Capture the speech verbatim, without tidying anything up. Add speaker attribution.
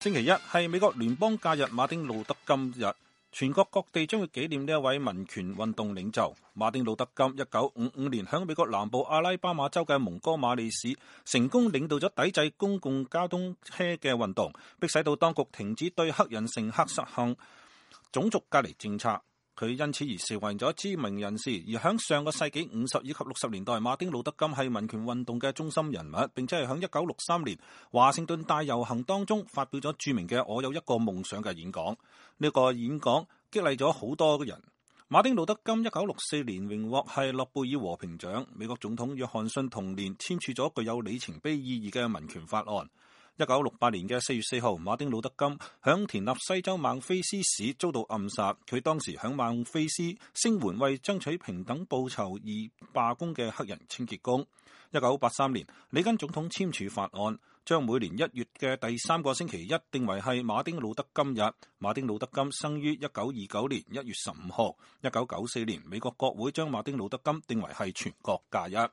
Speaker 1: 星期一係美國聯邦假日馬丁路德金日，全國各地將會紀念呢一位民權運動領袖馬丁路德金。一九五五年喺美國南部阿拉巴馬州嘅蒙哥馬利市成功領導咗抵制公共交通車嘅運動，迫使到當局停止對黑人乘客實行種族隔離政策。佢因此而成為咗知名人士，而喺上個世紀五十以及六十年代，馬丁路德金係民權運動嘅中心人物，並且係喺一九六三年華盛頓大遊行當中發表咗著名嘅我有一個夢想嘅演講。呢、這個演講激勵咗好多人。馬丁路德金一九六四年榮獲係諾貝爾和平獎，美國總統約翰遜同年簽署咗具有里程碑意義嘅民權法案。一九六八年嘅四月四號，馬丁路德金響田納西州孟菲斯市遭到暗殺。佢當時響孟菲斯聲援為爭取平等報酬而罷工嘅黑人清潔工。一九八三年，里根總統簽署法案，將每年一月嘅第三個星期一定為係馬丁路德金日。馬丁路德金生於一九二九年一月十五號。一九九四年，美國國會將馬丁路德金定為係全國假日。